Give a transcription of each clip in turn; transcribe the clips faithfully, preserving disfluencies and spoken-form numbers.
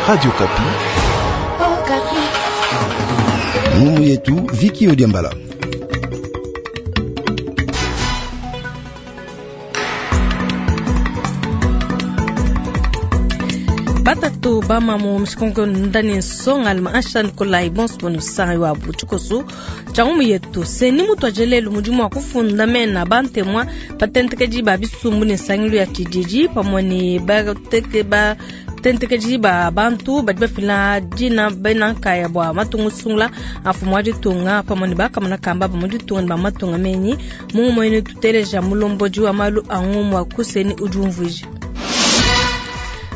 Radio Okapi. Ngumu yetu Viki Odiambala. Batatu bamamu mshikongo ndani nsonga alima ansha Nikolai bonso sanga wa buchikoso changu yetu seni mutu ajelelu mudimu wa kufunda mena bantemwa patentekeji ba bisumbu ne sangilu ya tshididi pamwe ne bateke ba tentekeji ba bantu badi bafila dina bena nkaya bua matunga usungula afumu wa ditunga pamwe ne bakamona kamba ba mu ditunga ne ba matunga menyi mungu mwene tuteleja mulombodi wa malu a ngumu wa kuseni udi umvuija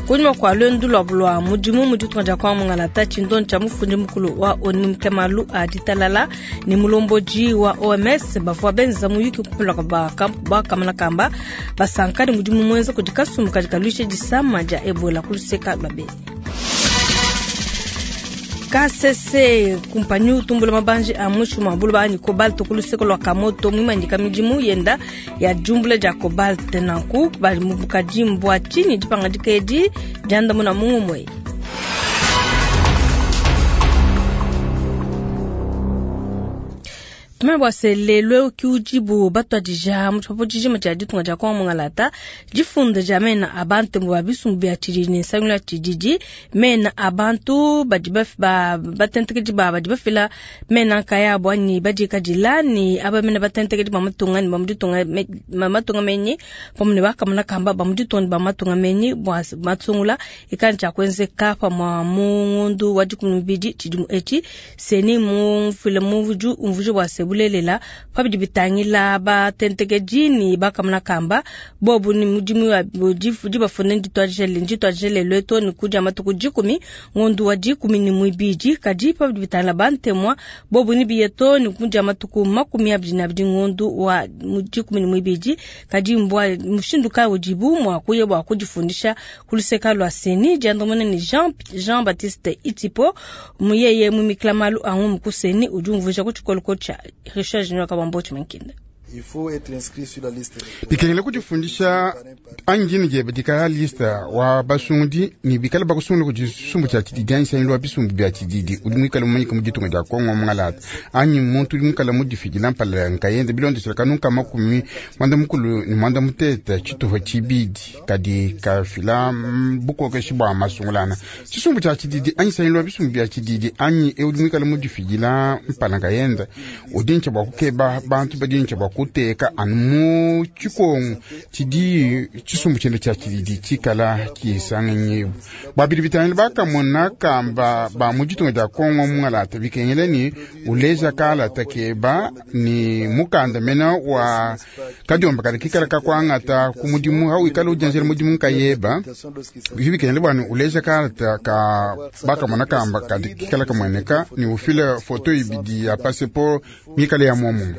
kunyima kwa lwendu lwa bulwa mudimu mu ditunga dia kwamungala tshindondi tshia mufundi mukulu wa onu mkemalu a ditalala ne mulombodi wa O M S bavua benza muyuki kupelaka bakamana kamba basanka ne mudimu mwenza kudi kasumbu kadi kaluisha disama dia Ebola kuluseka lwa Beni. K C C kumpanyi utumbula mabanji a mushu mabulu banyi cobalt kuluseko lwa Kamoto mwimandika midimu yenda ya jumbula ja cobalt nanku bali mubukaji mbwa chini dipanga dikedi janda muna mungu mwe. Tumebwa se lelo ki ujibu batwa dija mutwapo dijima ja ditunga ja kwa mungalata difunda ja mena abantu mwa bisumbu bya tshidi ne sangula tshididi mena abantu badi ba batentekedi ba badi bafila mena kaya bwani badi kadilani aba mena batentekedi ba matunga ni ba muditunga matunga menyi pamwe bakamuna kamba ba muditunga ba matunga menyi bwa matsungula ikanja kwenzeka pa mwa mungundu wa dikumubidi tshidimu eti seni mu file muvuju umvuju bwa bulelela pabidi bitangila batentekeji ni bakamuna kamba bobu ni mudimu wa di bafune nditwajele nditwajele lweto ni kuja matuku dikumi ngondu wa dikumi ni mwibidi kadi pabidi bitangila bantemwa bobu ni biyeto ni kuja matuku makumi abidi na abidi ngondu wa dikumi ni mwibidi kadi mbwa mushindu ka ujibu mwa kuye bwa kujifundisha kuluseka lwa seni jandomone ni Jean Jean Baptiste Itipo muyeye mumiklamalu angu mukuseni ujumvusha kuchikoloko cha Richard Junior Kabambo Chimankinde. Il faut être inscrit sur la liste. Bikengele kujifundisha anjini je bidika lista wa basundi ni bikala bakusungula kujisumbu cha tshididi anyi sanyi lwa bisumbu bya tshididi udi mwikala mumanyika mu ditunga dia Kongo mungalata anyi muntu udi mwikala mudifidila mpala nkayende bilondeshela kanunka makumi mwanda mukulu ni mwanda mutete tshituha tshibidi kadi kafila bukokeshi bwa masungulana tshisumbu cha tshididi anyi sanyi lwa bisumbu bya tshididi anyi e udi mwikala mudifidila mpala nkayende udi ntsha bwa kukeba bantu badi ntsha bwa kuteka anu mu tshikongo tshidi tshisumbu tshiende tshia tshididi tshikala tshisanganyibu babidi bitangile bakamona kamba ba mu ditunga dia Kongo mungalata bikengele ni uleja kalata keba ni mukanda mena wa kadiomba kadi kikala kakwangata ku mudimu hawikala udianzela mudimu nkayeba bivi bikengele bwani uleja kalata ka bakamona kamba kadi kikala kamweneka ni ufile foto ibidi ya passeport mikale ya momo.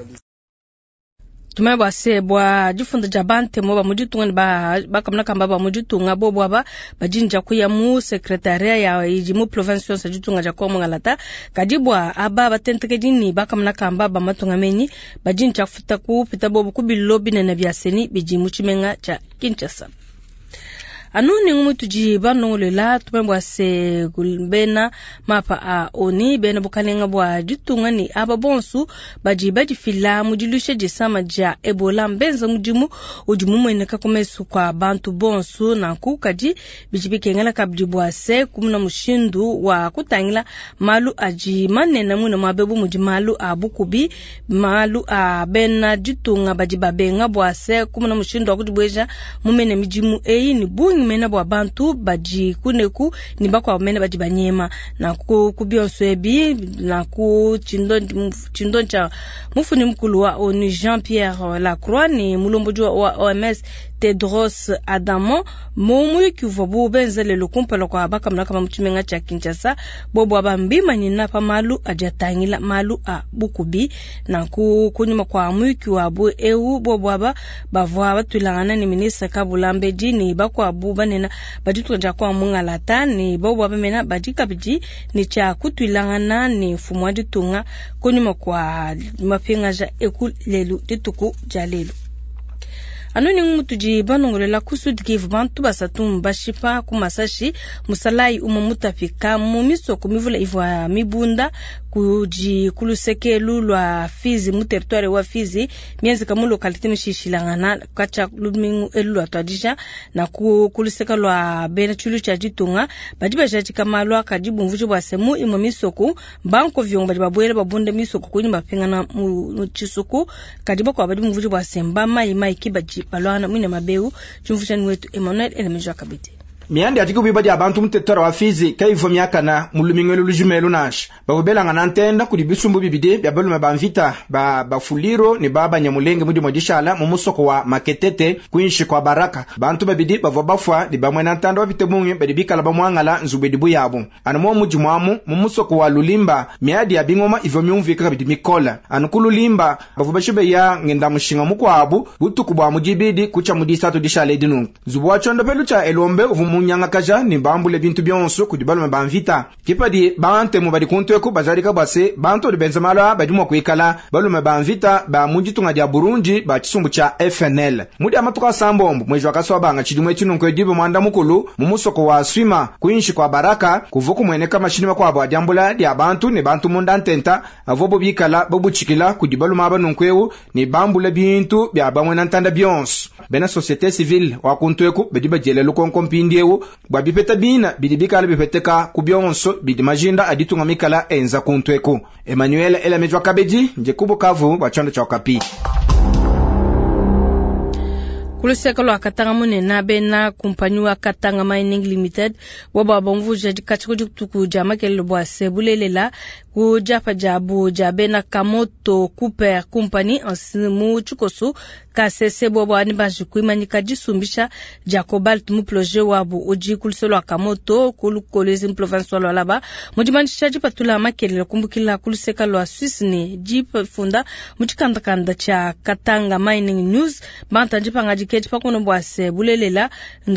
Tumebwa se bwa difunda ja bantemo ba muditunga ne ba bakamuna kamba ba muditunga bobo aba bajinja kuya mu secretariat ya idi mu province yonso ditunga ja Kongo ngalata kadi bwa aba batentekedi ni bakamuna kamba ba matunga menyi bajinja kufuta kupita bobo kubilo binene bya seni bidi mu tshimenga tsha Kinshasa. Anu ni ngumu tuji banongolela tumebwa se bena mapa a oni bena bukalenga bwa ditunga ni aba bonsu baji baji fila mudilushe disama dia Ebola mbenza mudimu udi mumweneka kumesu kwa bantu bonsu nanku kadi bidi bikengela kabidi bwa se kumuna mushindu wa kutangila malu aji manene mune mwabebu mudi malu a bukubi malu a bena ditunga baji babenga bwa se kumuna mushindu wa kudibweja mumene midimu eyi ni bungi mena bwa bantu baji kuneku ni bakwa mena baji banyema na ku kubionso ebi na ku chindo chindo cha mufuni mukulu wa onu Jean Pierre Lacroix ni mulomboji wa O M S Tedros Adhanom mumuyuki uvua bu benzele lukumpala kwa bakamuna kama mutshimenga tshia Kinshasa bobo abambima nyina pa malu adi atangila malu a bukubi nanku kunyuma kwa muyuki wabu eu bobo aba bavua batwilangana ni ministre Kabulambedi ni bakwabu banena baditunga kwa mungalata ni bobo abamena badi kabidi ni tshia kutwilangana ni mfumu wa ditunga kunyuma kwa mapingaja eku lelu dituku dia lelu. Anu ni mutudi banongolela ku Sud Kivu, bantu basatu mbashipa ku masashi musalayi umwe mutapika mu misoko mivula ivua mibunda kudi kulusekelu lwa Fizi mu territoire wa Fizi mienzeka mu localité mishishilangana kacha lumingu elu lwa twadija na ku kuluseka lwa bena chulu cha ditunga badi bajadika malu akadi bumvuji bwa semu imwe misoko banko vyongo badi babwela babunda misoko kunyi bapingana mu chisuku kadi bakwa badi bumvuji bwa semba mai mai kibaji balwana mwine mabeu chumvushani wetu Emmanuel Elemejo Kabidi. Miandi ati kubiba dia bantu mutetwara wa Fizi kaivo miakana mulumingelo lujumelo nasha bakubelanga ntenda kuli bisumbu bibidi bya balume ba mvita ba bafuliro ne ba banyamulenge mudi modishala mu musoko wa Maketete kuinshi kwa Baraka. Bantu babidi bavua bafwa ne bamwe na ntanda bapite bungi badi bikala bamwangala nzubedi buyabo anu mo mudi mwamu mu musoko wa Lulimba miadi ya bingoma ivo myumvika kabidi mikola anu ku Lulimba bavua bashibe ya ngenda mushinga mukwabu butuku bwa mudibidi kucha mudisatu dishala edinu nzubu wa chondo pelu cha Elombe uvu munyangakaja ni bambule bintu byonso kudi balume ba mvita kipadi bantemu badi kuntweku bajalika bwase bantu badi benza malu badi mwa kuikala balume ba mvita ba muditunga dia Burundi ba chisumbu cha F N L mudi amatuka sambombo mwezi wakaswa banga chidimwe chinunko edibe mwanda mukulu mu musoko wa Swima kuinshi kwa Baraka kuvuku mweneka mashini makwabo adiambula dia bantu ne bantu munda ntenta avobo bikala bobuchikila kudi balume abanunkweu ne bambule bintu bya bamwe na ntanda byonso bena société civile wa kuntweku badi bajele lukonko mpindiewu bwa bipeta bina bidi bikala bipeteka ku byonso bidi majinda aditunga mikala enza kuntweku. Emmanuel Elamejwa Kabedi nje kubukavu bwa chondo cha Okapi. Kuluseka lwa Katanga munene bena kumpanyi wa Katanga Mining Limited boba bomvuja dikatshi kudituku dia makelele bwa se bulelela ku diapa diabu dia bena Kamoto Cooper Company mu tshikoso K C C bobo ani banji kuimanyika disumbisha dia cobalt mu projet wabu udi kuluseka lwa Kamoto ku Kolwezi mu province wa Lualaba mu dimanyisha dipatula makelele kumbukila kuluseka lwa Suisse ne difunda mu tshikandakanda tshia Katanga Mining News banta dipanga diketi pakono bwa se bulelela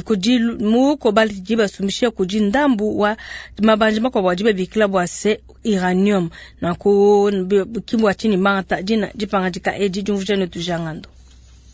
kudi mu cobalt dibasumbisha kudi ndambu wa mabanji makwabo dibabikila bwa se uranium na ku kimbwa chini manta dina dipanga dika edi diumvuja ne tujangando.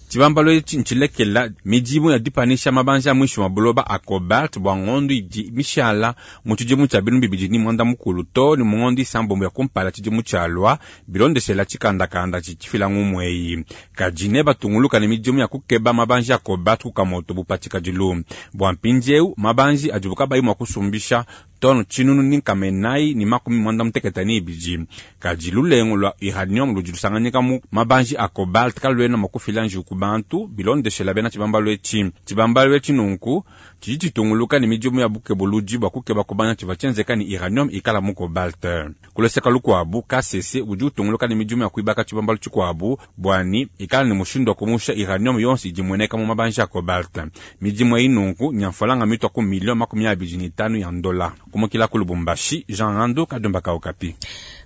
Tshibambalo etshi ntshilekela midimu ya dipanisha mabanja mwisho wa buloba a cobalt bwa ngondo idi mishala mu tshidimu tshia binu bibidi ni mwanda mukulu to ni mu ngondo isambombo ya kumpala tshidimu tshialua bilondeshela tshikandakanda tshitshifila ngumweyi kadi ne batunguluka ne midimu ya kukeba mabanja ya cobalt ku Kamoto bupatika dilu bwa mpindieu mabanji adibu kabayi mua kusumbisha tono tshinunu ni nkamenai ni makumi mwanda muteketa ni ibidi kadi lulengu lwa uranium ludi lusanganyika mu mabanji a cobalt kaluena mua kufila njiwu ku bantu bilondeshela bena tshibambalo etshi. Tshibambalo etshi nunku tshidi tshitunguluka ne midimu ya bukebuludi bua kukeba kubanya tshivua tshienzeka ni uranium ikala mu cobalt. Kuleseka lukuabu K C C udi utunguluka ne midimu ya kuibaka tshibambalo tshikuabu bwani ikala ne mushindu wa kumusha uranium yonso idi mueneka mu mabanji a cobalt. Midimu eyi nunku nyamfalanga mitwa ku milio makumi abidi ni tanu ya ndola. Kumukila ku Lubumbashi, Jean Ando Kadumba Okapi.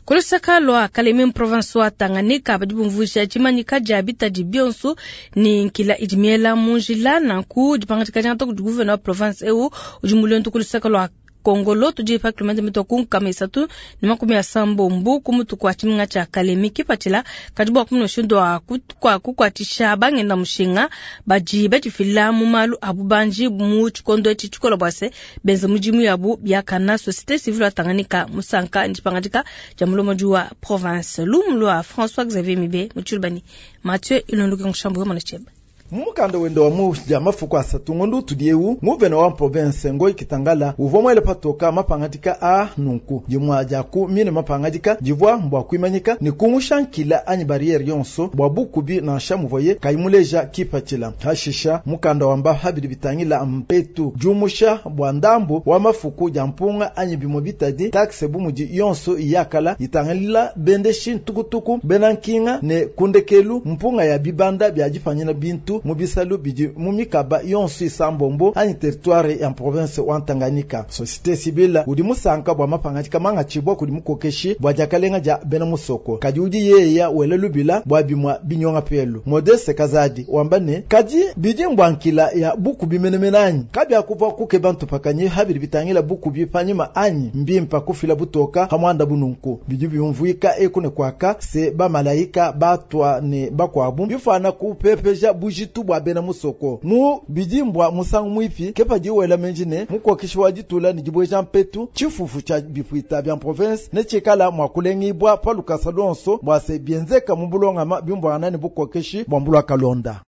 Kulusaka lwa Kalemi province wa Tanganyika badi bumvuja tshimanyika dia bitadi bionso ni nkila idi miela mu njila nanku dipangadika dia ntoku gouverneur wa province eu udi mulondu kulusaka lwa Kongolo tudi pa kilomètre mitwa ku nkama isatu ni makumi ya sambombo ku mutu kwa tshiminga tshia Kalemi kipatshila kadi bua kumuna mushindu wa kukwatisha bangenda mushinga badi badifila mu malu a bubanji mu tshikondo etshi tshikola bua se benza mudimu yabu biakana société civile wa Tanganyika musanka ndipangadika dia mulomodi wa province lumu lwa François Xavier Mibe mu tshilubani Mathieu Ilonduke Nkushambu mwana tsheba. Mumukanda wende wa mu mafuku asatu ngondo tudieu nguvena wa province ngoi kitangala uvwa mwele patoka mapangadika a nunku dimwa dia ku mine mapangadika divwa mbwa kuimanyika ni kumushankila anyi barriere yonso bwa bukubi na nshamuvoye kaimuleja kipatshila hashisha mukanda wamba habidi bitangila mpetu jumusha bwa ndambu wa mafuku dia mpunga anyi bimo bitadi taxe bumudi yonso yakala itangalila bendeshi ntukutuku benankinga ne kundekelu mpunga ya bibanda bya dipanyina bintu mubisalu bidi mumikaba yonso isambombo anyi territoire ya province wa Tanganyika. Société civile udi musanka bwa mapangadika manga tshibwa kudi mukokeshi bwa diakalenga dia bena musoko kadi udi yeya wele lubila bwa bimwa binyonga pelu Modeste Kazadi wamba ne kadi bidi mbwankila ya buku bimenemene anyi kabi akuva kuke bantu pakanye habiri bitangila buku bipanyima anyi mbimpa kufila butoka hamwanda bununku bidi byumvuika ekune kwaka se bamalaika batwa ne bakwabu bifana kupepeja bujitu bujitu bua bena musoko mu bidimbwa musangu mwipi ke padi wela menji ne mukokeshi wa ditula ne dibweja mpetu tshifufu tshia bipuita bya province ne tshikala mwa kulengibwa pa lukasa lonso bua se bienzeka mu bulongama bimbwana ne bukokeshi bua mbulwa kalonda.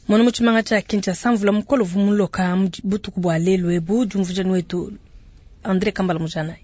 Mwana mu tshimanga tshia Kinshasa mvula mukolo vumuloka butuku bua lelu ebu diumvuja wetu André Kambala Mujana.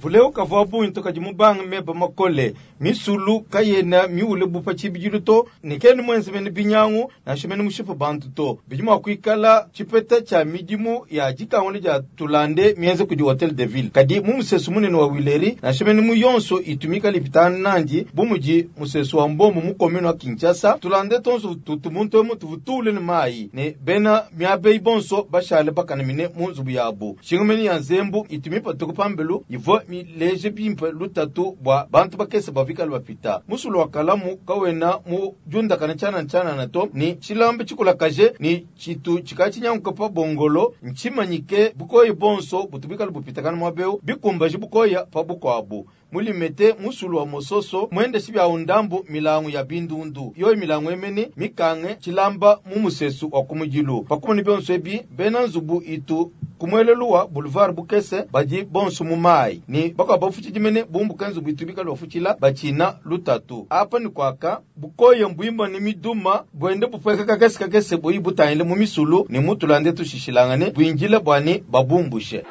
Vuleu kavua bungi tokadi mubanga meba makole misulu kayena miule bupa tshibidilu to ne kene mwenze mene binyangu nansha mene mushipa bantu to bidi mua kuikala tshipeta tshia midimu ya dikangula dia tulande mienze kudi hotel de ville kadi mu musesu munene wa Wileri nansha mene mu yonso itumika lipitana nandi bu mudi musesu wa mbombo mu commune wa Kinshasa tulande tonso tutu muntu emu tuvutule ne mayi ne bena miabeyi bonso bashale bakanamine mu nzubu yabu shingumeni ya nzembu itumipa tukupambelu ivo mileje bimpe lutatu bua bantu bakese bavikala bapita musulu wa kalamu kawena mu diundakana tshianana to ni tshilambe tshikulakaje ni tshitu tshika pa bongolo ntshimanyike bukoyi bonso butubikala bupitakana muabeu bikumbaji bukoya pa bukwabu mulimete musulu wa mososo mwende shibya undambu milangu ya bindundu yoyi milangu emene mikange tshilamba mu musesu wa kumujilu pakumuni byonso ebi bena nzubu itu kumweleluwa boulevard bukese badi bonso mu mai ni bakwa bafuchidimene bumbuka nzubu itu bikala bafuchila bachina lutatu apa ni kwaka bukoye mbwimba ni miduma bwende bupweka kakese kakese boyi butangile mu misulu ni mutulande tushishilangane bwinjile bwani babumbushe.